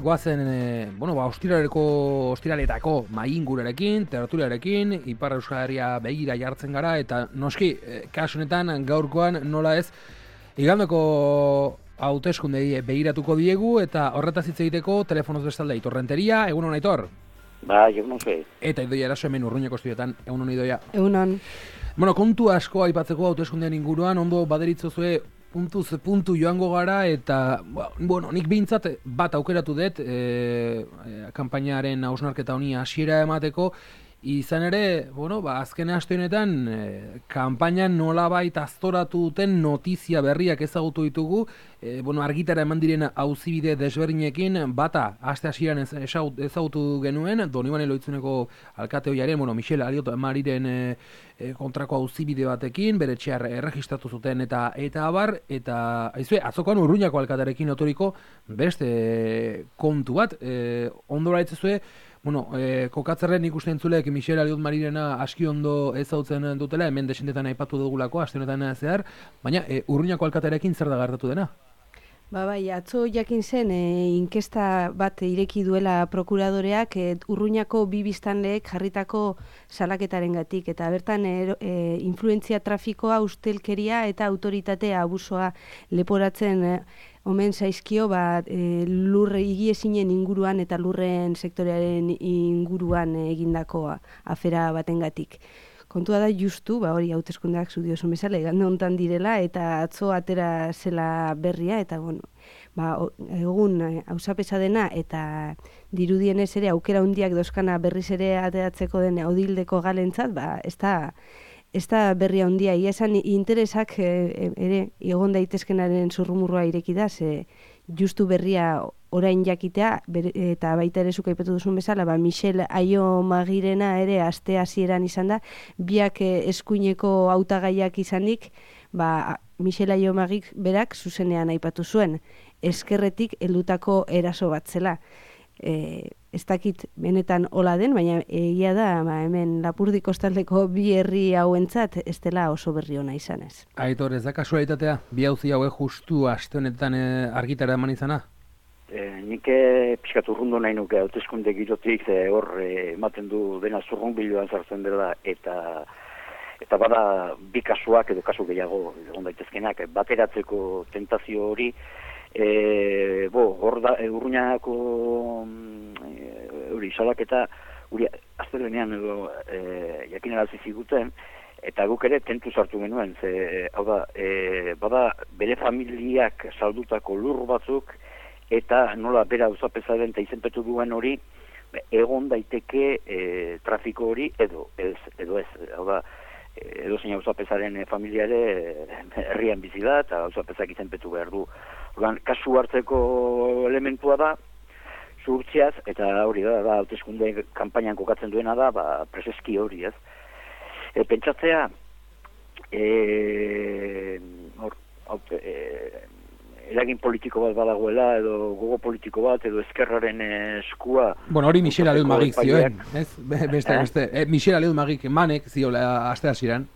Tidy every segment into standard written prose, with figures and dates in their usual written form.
Goazen, ostiraletako maingurarekin, tertuliarekin, Ipar Euskal Herria begira jartzen gara, eta noski, kasu honetan gaurkoan nola ez, igandeko hauteskundei begiratuko diegu, eta horretaz hitz egiteko telefonoz bestalde Aitor Renteria, egun hon Aitor? Ba, egun hon zuei. Eta Idoia Eraso hemen Urruñako estudioetan, egun hon Idoia? Egun hon. Bueno, kontu asko aipatzeko hauteskundean inguruan, ondo baderitzozue puntuz puntu joango gara, eta, bueno, nik behintzat bat aukeratu dut kanpainaren hausnarketa honi hasiera emateko, izan ere, azken aste honetan, kanpainan nolabait aztoratu duten notizia berriak ezagutu ditugu, argitara eman diren auzibide desberdinekin, bata, aste hasieran ezagutu genuen, Donibane Lohitzuneko alkate ohiaren, Michel Aliot Mariren kontrako auzibide batekin, bere etxear erregistratu zuten eta abar, eta atzokoan Urruñako alkatearekin otoriko beste kontu bat, ondora etzezue, kokatzerren ikusten entzulek Michel Aliot Marirena aski ondo ezagutzen dutela, hemen desentetan aipatu dugulako, aste honetan zehar, baina Urruñako alkatearekin zer da gertatu dena? Bai, atzo jakin zen inkesta bat ireki duela prokuradoreak Urruñako bi biztanleek jarritako salaketarengatik, eta bertan influentzia trafikoa, ustelkeria eta autoritatea abusoa leporatzen omen zaizkio lurre higiezinen inguruan eta lurren sektorearen inguruan egindako afera batengatik. Kontua da justu, hori hauteskundeak zu diozun bezala, igande hontan direla, eta atzo atera zela berria, eta egun auzapeza dena, eta dirudienez ere aukera hundiak dozkana berriz ere ateratzeko den Audildeko galentzat, ez da berria hundia, ia esan interesak ere egon daitezkenaren zurrumurroa ireki da, ze justu berria orain jakitea, eta baita ere zuk aipatu duzun bezala, Michel Aio Magirena ere aste hasieran izan da, biak eskuineko hautagaiak izanik, Michel Aio Magik berak zuzenean aipatu zuen, eskerretik heldutako eraso bat zela. Ez dakit benetan hola den, baina egia da hemen Lapurdi kostaldeko bi herri hauentzat ez dela oso berri ona izanez. Aitor, ez da kasualitatea, bi auzi hauek justu aste honetan argitara eman izana? Nik pixkat urrundu nahi nuke hauteskunde girotik, hor ematen du dena zurrunbiloan sartzen dela, eta bada bi kasuak edo kasu gehiago egon daitezkenak, bateratzeko tentazio hori, hor da Urruñako salaketa hori astelehenean edo jakinarazi ziguten, eta guk ere tentu sartu genuen, hau da, bada bere familiak saldutako lur batzuk, eta nola bera auzapezaren eta izenpetu duen hori egon daiteke trafiko hori edo ez. Hau da, edo zein auzapezaren familiare herrian bizi da eta auzapezak izenpetu behar du. Kasu hartzeko elementua da, zuhurtziaz, eta hori da, hauteskunde kanpainan kokatzen duena da, preseski hori, ez. Pentsatzea, eragin politiko bat badagoela, edo gogo politiko bat, edo ezkerraren eskua... Hori Michel Aliot Magik zioen, ez? Beste. Michel Aliot Magik manek ziola aste hasieran.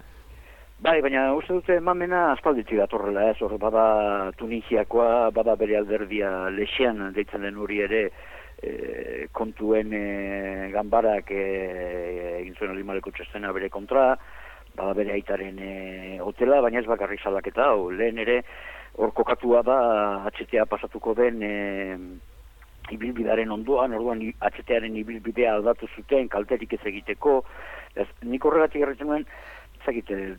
Bai, baina uste dute mamena aspalditik datorrela, ez? Hor, bada Tunisiakoa, bada bere alderdia Lexean deitzen den hori ere, kontuen ganbarak egin zuen Alimaleko txestena bere kontra, bada bere aitaren hotela, baina ez bakarrik salaketa, lehen ere, hor kokatua da HTA pasatuko den ibilbidaren ondoan, orduan HTaren ibilbidea aldatu zuten, kalterik ez egiteko, nik horregatik erretzen nuen,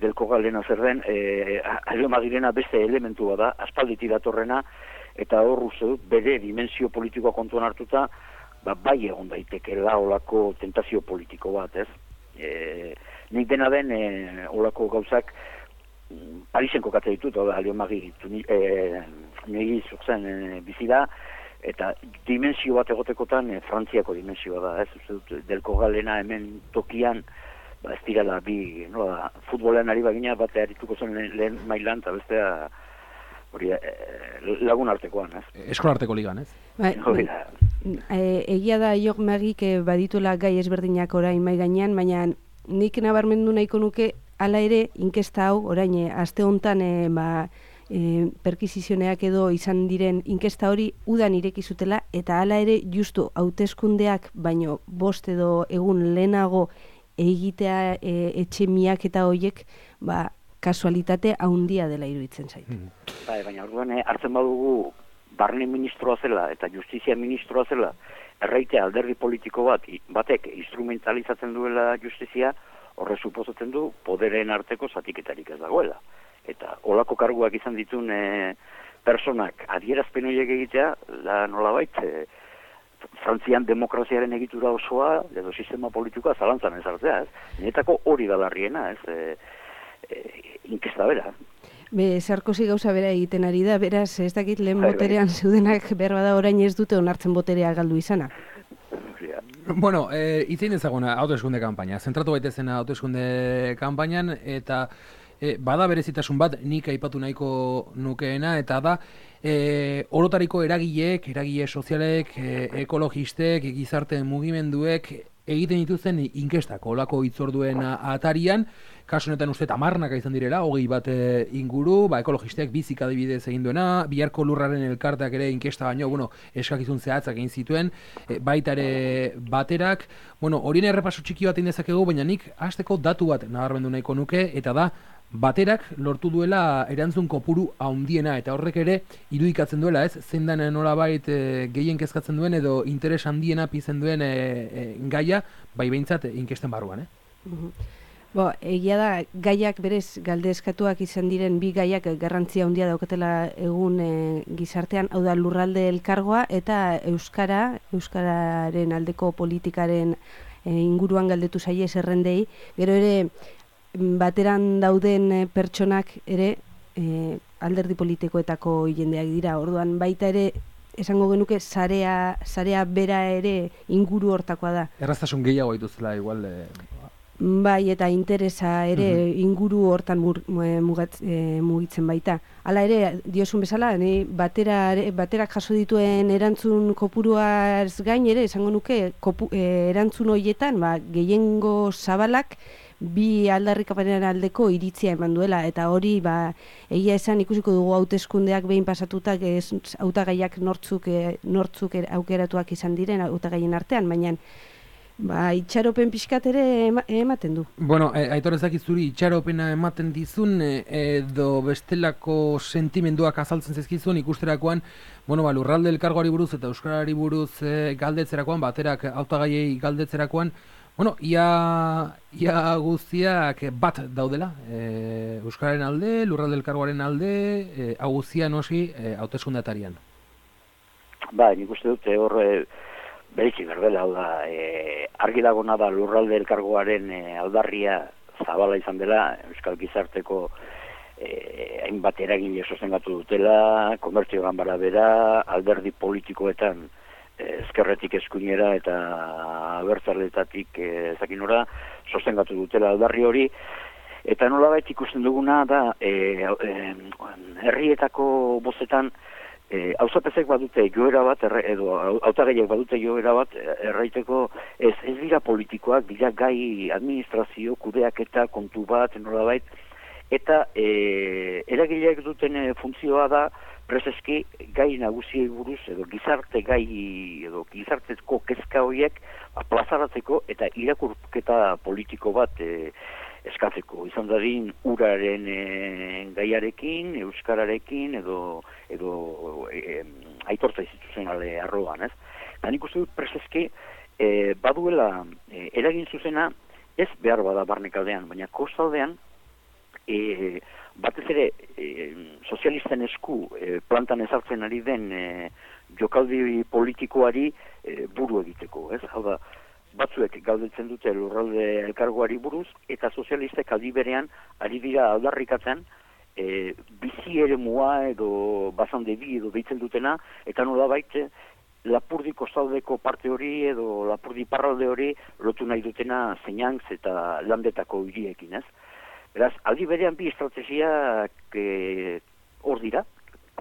delko galena zer den, Aio Magirena beste elementua da, aspalditik datorrena, eta hor uste dut, bere dimensio politikoa kontuan hartuta, bai egon daiteke olako tentazio politiko bat, ez? Nik dena den, olako gauzak, Parisen kokate ditut, Aio Magik niri zurtzen bizi da, eta dimensio bat egotekotan Frantziako dimensioa da, ez? Uste dut, delko galena hemen tokian, ez direla bi, futbolean ari bagina bat erituko zen lehen mailan, eta bestea hori lagun artekoan, ez? Eskola arteko ligan, ez? Egia da Aio Magik badituela gai ezberdinak orain mai gainean, baina nik nabarmendu nahiko nuke hala ere inkesta hau orain aste hontan perkisizioneak edo izan diren inkesta hori udan ireki zutela, eta hala ere justu hauteskundeak baino 5 edo egun lehenago egitea etxe miaketa horiek, kasualitate handia dela iruditzen zait. Baina orduan hartzen badugu barne ministroa zela eta justizia ministroa zela, erraitea alderdi politiko batek instrumentalizatzen duela justizia, horre suposatzen du poderen arteko zatiketarik ez dagoela. Eta olako karguak izan ditun personak adierazpen horiek egitea, nolabait, Frantzian demokraziaren egitura osoa, edo sistema politikoa zalantzan ezartzea, ez? Nietako hori da larriena, ez? Inkesta bera. Sarkozy gauza bera egiten ari da, beraz, ez dakit lehen boterean zeudenak behar bada orain ez dute onartzen boterea galdu izana. Bueno, itzein ezaguna hauteskunde kanpaina, zentratu baitezena hauteskunde kanpainan, eta bada berezitasun bat nik aipatu nahiko nukeena, eta da orotariko eragile sozialek, ekologistek, gizarte mugimenduek egiten dituzten inkestak, olako hitzorduen atarian, kasu honetan uste 10 izan direla, 20 bat inguru, ekologistek bizik adibidez egin duena, biharko lurraren elkarteak ere inkesta baino, eskakizun zehatzak egin zituen, baita ere baterak, horien errepaso txiki bat indezakegu, baina nik hasteko datu bat nabarmendu nahiko nuke, eta da, baterak lortu duela erantzun kopuru handiena, eta horrek ere irudikatzen duela, ez? Zein den nolabait gehien kezkatzen duen edo interes handiena pizten duen gaia, bai behintzat inkesten barruan, Egia da, gaiak berez galdezkatuak izan diren bi gaiak garrantzia handia daukatela egun gizartean, hau da lurralde elkargoa eta euskararen aldeko politikaren inguruan galdetu zaie zerrendei, gero ere bateran dauden pertsonak ere alderdi politikoetako jendeak dira, orduan baita ere esango genuke sarea bera ere inguru hortakoa da. Erraztasun gehiago dituzela igual... Bai, eta interesa ere inguru hortan mugitzen baita. Hala ere, diosun bezala, baterak jaso dituen erantzun kopuruaz gain ere, esango nuke, erantzun horietan, gehiengo zabalak, bi aldarrikapenen aldeko iritzia eman duela, eta hori, egia esan ikusiko dugu hauteskundeak behin pasatutak, hautagaiak nortzuk aukeratuak izan diren hautagaien artean, baina itxaropen pixkat ere ematen du. Bueno, Aitor ezakizuri itxaropena ematen dizun edo bestelako sentimenduak azaltzen zezkizun ikusterakoan, lurralde elkargoari buruz eta euskarari buruz galdetzerakoan, baterak hautagaiei galdetzerakoan, ia guztiak bat daudela, euskararen alde, lurralde elkargoaren alde, hau guztia noski hauteskundeatarian. Nik uste dute horre beritxik berbela, hau da, argi dagona da lurralde elkargoaren aldarria zabala izan dela, euskal gizarteko hainbat eragile sostengatu dutela, komertzio ganbara bera, alderdi politikoetan ezkerretik eskuinera eta abertzaletatik ezakinora sostengatu dutela aldarri hori, eta nolabait ikusten duguna da herrietako bozetan hauzapezek badute joera bat, edo hautagaiek badute joera bat, erraiteko ez dira politikoak, dira gai administrazio, kudeak eta kontu bat, nolabait, eta eragileak duten funtzioa da, prezeski gai nagusiei buruz, edo gizarte gai, edo gizartezko kezka horiek plazaratzeko eta irakurketa politiko bat eskatzeko. Izan dadin uraren gaiarekin, euskararekin, edo aitortza instituzionale arroan, ez? Nik uste dut prezeski baduela eragin zuzena, ez behar bada barnekaldean, baina kostaldean, batez ere sozialisten esku plantan ezartzen ari den jokaldi politikoari buru egiteko, ez? Hau da, batzuek galdetzen dute lurralde elkargoari buruz, eta sozialistek aldi berean ari dira aldarrikatzen bizi eremua edo bazande bi edo deitzen dutena, eta nolabait Lapurdi kostaldeko parte hori edo Lapurdi parralde hori lotu nahi dutena Zeinantz eta Landetako hiriekin, ez? Beraz, aldi berean bi estrategiak hor dira,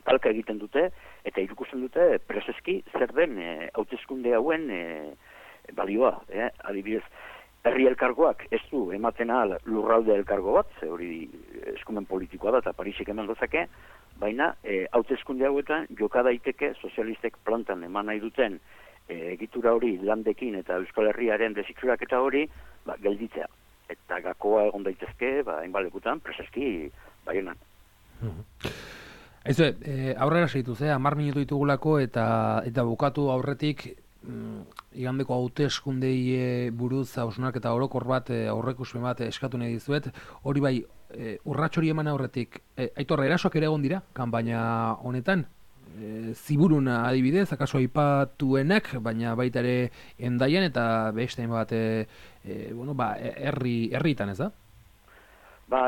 talka egiten dute, eta ikusten dute prezeski zer den hauteskunde hauen balioa. Adibidez, herri elkargoak ez du ematen ahal lurralde elkargo bat, ze hori eskumen politikoa da eta Parisek eman dezake, baina hauteskunde hauetan joka daiteke sozialistek plantan eman nahi duten egitura hori landekin eta Euskal Herriaren desitxuraketa hori gelditzea. Eta gakoa egon daitezke, hainbalekutan, preseski, Baionan. Aizu, aurrera segitu, 10 minutu ditugulako eta bukatu aurretik igandeko hauteskundei buruz hausnarketa orokor bat, aurreikuspen bat eskatu nahi dizuet. Hori bai, urrats hori eman aurretik, Aitor, erasoak ere egon dira, kanpaina honetan? Ziburun adibidez, akaso aipatuenak, baina baita ere Hendaian eta beste bat herritan, ez da?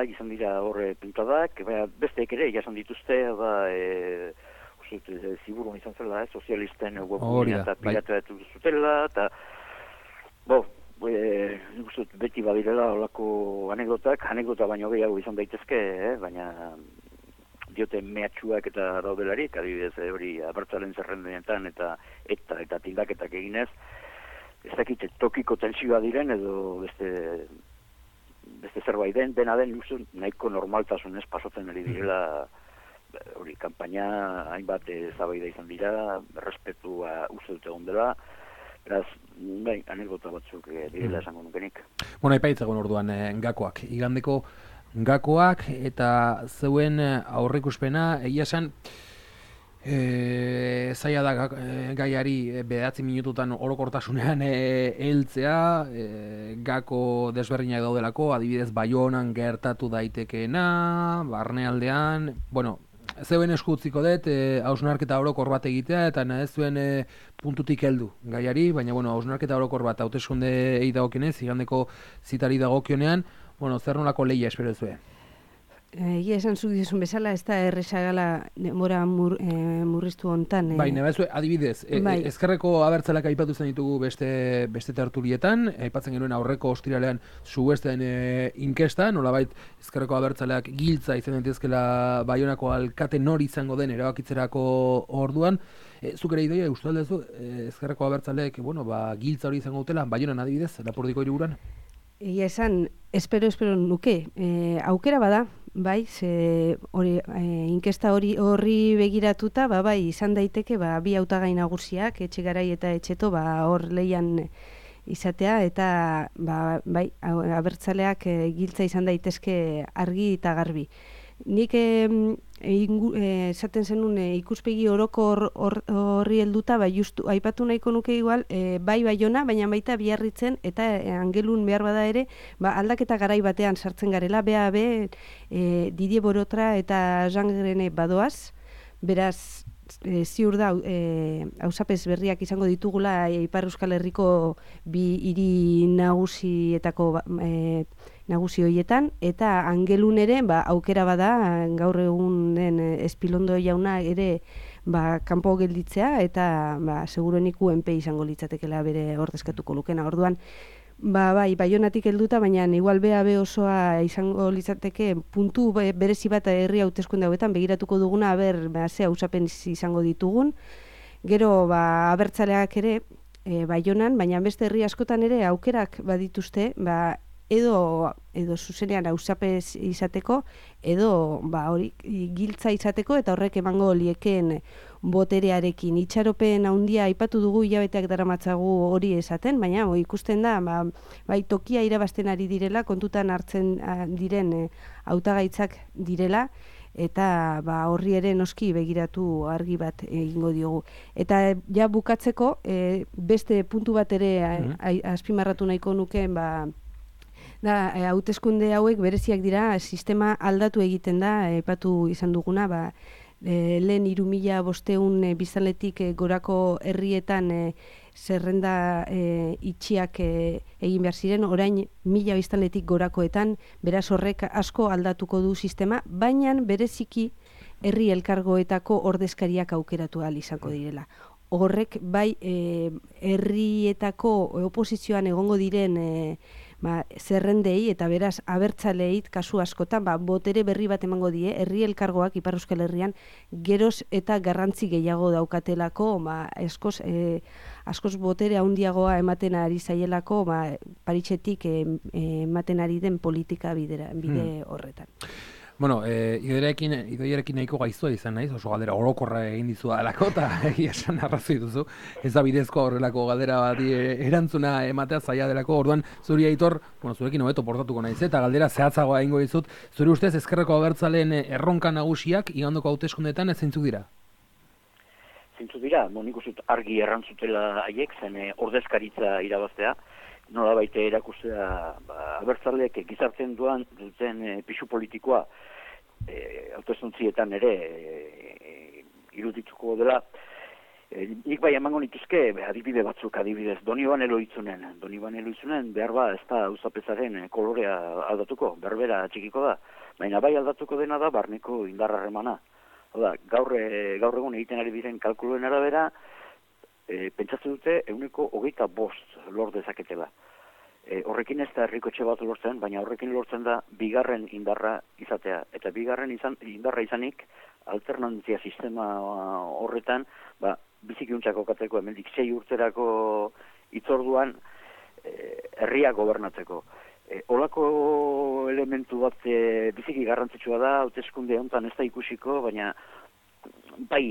Izan dira horre pintadak, besteek ere, jasan dituzte, ziburun izan zela, sozialisten webgunea eta pirateatu zutela, eta, nik uste beti badirela olako anekdota baino gehiago izan daitezke, baina diote mehatxuak eta daudelarik, adibidez, hori abertzalen zerrendenetan eta tildaketak eginez, ez dakit tokiko tensioa diren edo beste zerbait dena den nahiko normaltasunez pasatzen ari direla, hori kanpaina hainbat zabaida izan dira, respetua uste dute ondela, beraz, anekdota batzuk direla esango nukenik. Aipaitzagun orduan gakoak, igandeko gakoak eta zeuen aurreikuspena, egia esan zaila da gaiari 9 minututan orokortasunean heltzea, gako desberdinak daudelako, adibidez Baionan gertatu daitekeena, barnealdean, zeuen eskutziko dut, hausnarketa orokor bat egitea, eta nahez zuen puntutik heldu gaiari, baina hausnarketa orokor bat hauteskundeei dagokienez, igandeko zitari dagokionean, zer nolako lehia espero zuen? Egia esan zuk dizun bezala, ez da errezagala demora murriztu hontan. Baina, adibidez, ezkerreko abertzalak aipatu zen ditugu beste tertulietan, aipatzen genuen aurreko ostiralean zuesten inkesta, nolabait ezkerreko abertzaleak giltza izan daitezkela Baionako alkate nori izango den erabakitzerako orduan. Zuk ere idoia, uste aldezu, ezkerreko abertzaleek, giltza hori izango dutela, Baionan adibidez, Lapurdiko hiriburuan? Egia esan, espero nuke, aukera bada, inkesta horri begiratuta, izan daiteke, bi hautagai nagusiak, Etxegarai eta Etxeto, hor leian izatea, eta, abertzaleak giltza izan daitezke argi eta garbi. Nik esaten zenun ikuspegi orokor horri helduta, justu aipatu nahiko nuke igual, Baiona, baina baita Biarritzen eta Angelun behar bada ere, aldaketa garai batean sartzen garela, Didier Borotra eta Jean Grene badoaz, beraz, ziur da, hausapez berriak izango ditugula Ipar Euskal Herriko bi hiri nagusietako nagusi horietan, eta Angelun ere, aukera bada, gaur egunen Espilondo jauna ere kanpo gelditzea, eta seguruenik UNP izango litzatekela bere ordezkatuko lukena. Orduan, Baionatik helduta, baina igual BAB osoa izango litzateke puntu berezi bat herri hauteskunde hauetan begiratuko duguna, ze hausapen izango ditugun. Gero, abertzaleak ere Baionan, baina beste herri askotan ere aukerak badituzte, edo zuzenean hausapez izateko, edo hori giltza izateko, eta horrek emango liekeen boterearekin. Itxaropen handia aipatu dugu, hilabeteak daramatzagu hori esaten, baina ikusten da, tokia irabazten ari direla, kontutan hartzen diren hautagaitzak direla, eta horri ere noski begiratu argi bat egingo diogu. Eta ja bukatzeko, beste puntu bat ere azpimarratu nahiko nukeen, hauteskunde hauek bereziak dira, sistema aldatu egiten da, aipatu izan duguna, lehen 3.500 biztanletik gorako herrietan zerrenda itxiak egin behar ziren, orain 1.000 biztanletik gorakoetan, beraz horrek asko aldatuko du sistema, baina bereziki herri elkargoetako ordezkariak aukeratu ahal izango direla. Horrek herrietako oposizioan egongo diren zerrendei eta beraz abertzaleit kasu askotan botere berri bat emango die, herri elkargoak Ipar Euskal Herrian geroz eta garrantzi gehiago daukatelako, askoz botere handiagoa ematen ari zaielako, Paritxetik ematen ari den politika bide horretan. Bueno, idoiarekin nahiko gaiztua izan naiz, oso galdera orokorra egin dizu alako, eta egia esan arrazoi duzu, ez da bidezko horrelako galdera bati erantzuna ematea zaila delako, orduan zuri Aitor, zurekin hobeto portatuko naiz, eta galdera zehatzagoa egingo dizut, zuri ustez ezkerreko abertzaleen erronka nagusiak igandoko hauteskundeetan zeintzuk dira? Zeintzuk dira, nik uste argi errantzutela haiek, zen ordezkaritza irabaztea, nola baita erakustea abertzaleek gizartzen duten pisu politikoa hauteskuntzietan ere irudituko dela. Nik bai emango nituzke adibide batzuk, adibidez Donibane Loizunen behar ez da auzapezaren kolorea aldatuko, berbera txikiko da, baina bai aldatuko dena da barneko indarrarremana. Gaur egun egiten ari diren kalkuluen arabera, pentsatzen dute 25% lor dezaketela. Horrekin ez da herriko etxe bat lortzen, baina horrekin lortzen da bigarren indarra izatea. Eta bigarren indarra izanik, alternantzia sistema horretan, bizikiuntzako kateko hemendik 6 urterako itzorduan herria gobernatzeko. Olako elementu bat biziki garrantzitsua da, hauteskunde honetan ez da ikusiko, baina bai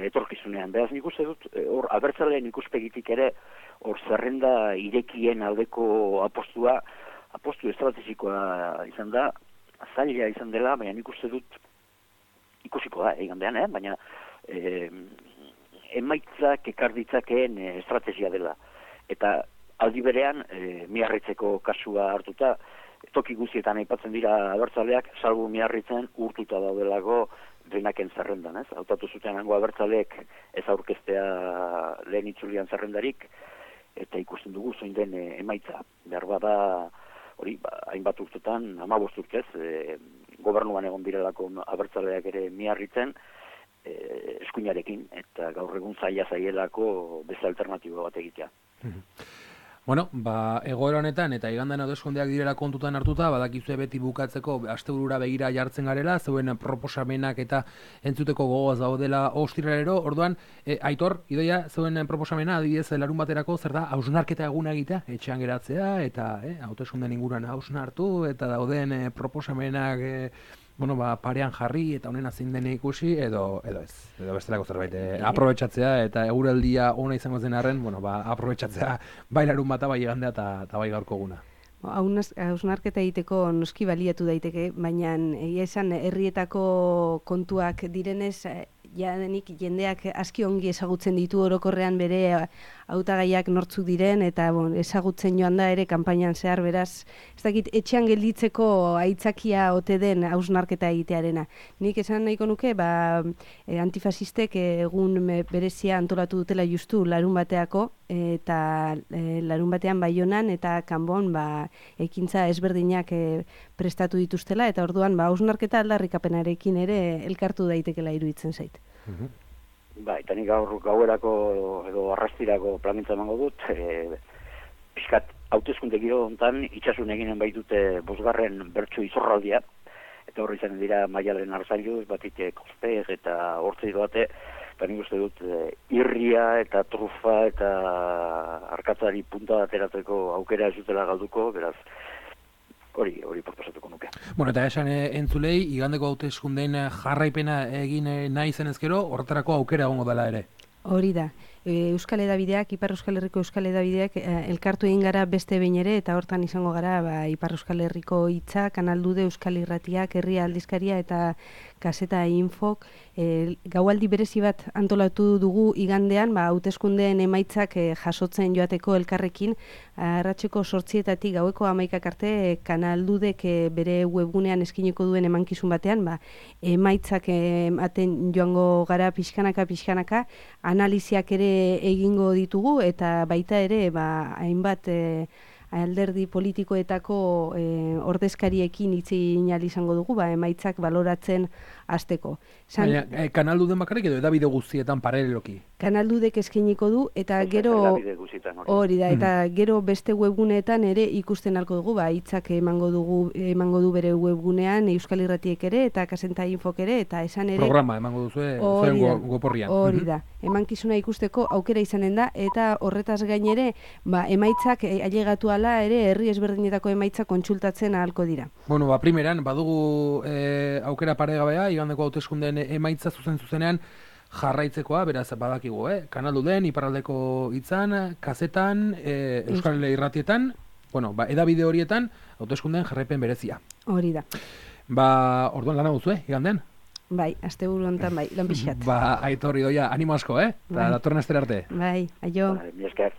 etorkizunean. Beraz nik uste dut, hor abertzaleen ikuspegitik ere, hor zerrenda irekien aldeko apostu estrategikoa izan da, zaila izan dela, baina nik uste dut ikusiko da, egandean, baina emaitzak ekarditzakeen estrategia dela. Eta aldi berean, Miarritzeko kasua hartuta, toki guztietan aipatzen dira abertzaleak, salbu Miarritzen urtuta daudelako denaken zerrendan, ez? Hautatu zuten hango abertzaleek ez aurkeztea lehen itzulian zerrendarik, eta ikusten dugu zein den emaitza. Behar bada, hori, hainbat urtetan, 15 urtez, gobernuan egon direlako abertzaleak ere Miarritzen, eskuinarekin, eta gaur egun zaielako beste alternatibo bat egitea. Bueno, egoera honetan eta igandean hauteskundeak direla kontutan hartuta, badakizue beti bukatzeko asteburura begira jartzen garela, zeuen proposamenak eta entzuteko gogoaz daudela ostiralero. Orduan, Aitor, Idoia, zeuen proposamena adibidez larun baterako zer da hausnarketa eguna egitea, etxean geratzea eta hauteskundeen inguruan hausnartu eta dauden proposamenak parean jarri eta honena zein den ikusi edo ez. Edo bestelako zerbait aprobetxatzea eta eguraldia ona izango zen arren, aprobetxatzea bai larun bata, bai igandea eta bai gaurko eguna. Hausnarketa egiteko noski baliatu daiteke, baina egia esan herrietako kontuak direnez, jadenik jendeak aski ongi ezagutzen ditu orokorrean bere hautagaiak nortzuk diren, eta ezagutzen joan da ere kanpainan zehar, beraz, ez dakit etxean gelditzeko aitzakia ote den hausnarketa egitearena. Nik esan nahiko nuke, antifasistek egun berezia antolatu dutela justu larun bateako, eta larun batean Baionan eta Kanbon ekintza ezberdinak prestatu dituztela, eta orduan hausnarketa aldarrikapenarekin ere elkartu daitekela iruditzen zait. Eta nik gauerako edo arrastirako plangintza emango dut, pixkat hauteskunde giro hontan itxasun eginen baitute 5. bertso izorraldia, eta horri izan dira Maialen Arzailu, batik Kospeg eta Hortzei doate, eta nik uste dut irria eta trufa eta arkatzari punta ateratzeko aukera ez dutela galduko, beraz, hori proposatuko nuke. Eta esan entzulei, igandeko hauteskundeen jarraipena egin nahi zen ezkero, horretarako aukera egongo dela ere. Hori da. Euskal Hedabideak, Ipar Euskal Herriko Euskal Hedabideak elkartu egin gara beste behin ere, eta hortan izango gara Ipar Euskal Herriko Hitza, Kanal Dude, Euskal Irratiak, Herria Aldizkaria eta Kaseta Infok. Gaualdi berezi bat antolatu dugu igandean, hauteskundeen emaitzak jasotzen joateko elkarrekin, arratseko 8:00 gaueko 11:00 arte Kanal Dudek bere webgunean eskiniko duen emankizun batean, emaitzak ematen joango gara pixkanaka, analiziak ere egingo ditugu, eta baita ere hainbat alderdi politikoetako ordezkariekin hitz egin ahal izango dugu, emaitzak baloratzen hasteko. Baina, kanaldu den bakarrik edo edabide guztietan paraleloki? Kanaldudek eskainiko du, eta gero hori da, eta gero beste webguneetan ere ikusten alko dugu, hitzak emango du bere webgunean, Euskal Irratiek ere, eta Kasenta Infok ere, eta esan ere... Programa emango duzu, zuen goporrian. Hori da, emankizuna ikusteko aukera izanen da, eta horretaz gain ere, emaitzak ailegatu ala ere, herri ezberdinetako emaitzak kontsultatzen ahalko dira. Bueno, primeran, badugu aukera paregabea, igandeko hauteskundeen emaitza zuzenean jarraitzekoa, beraz badakigu, kanaldu den, iparraldeko hitzan, kazetan, Euskal Irratietan, edabide horietan, hauteskundeen jarraipen berezia. Hori da. Orduan lana duzu, igandean? Bai, asteburu honetan bai, lan pixkat. Aitor Idoia, animo asko, eta datorren astera arte. Bai, aio. Mi esker.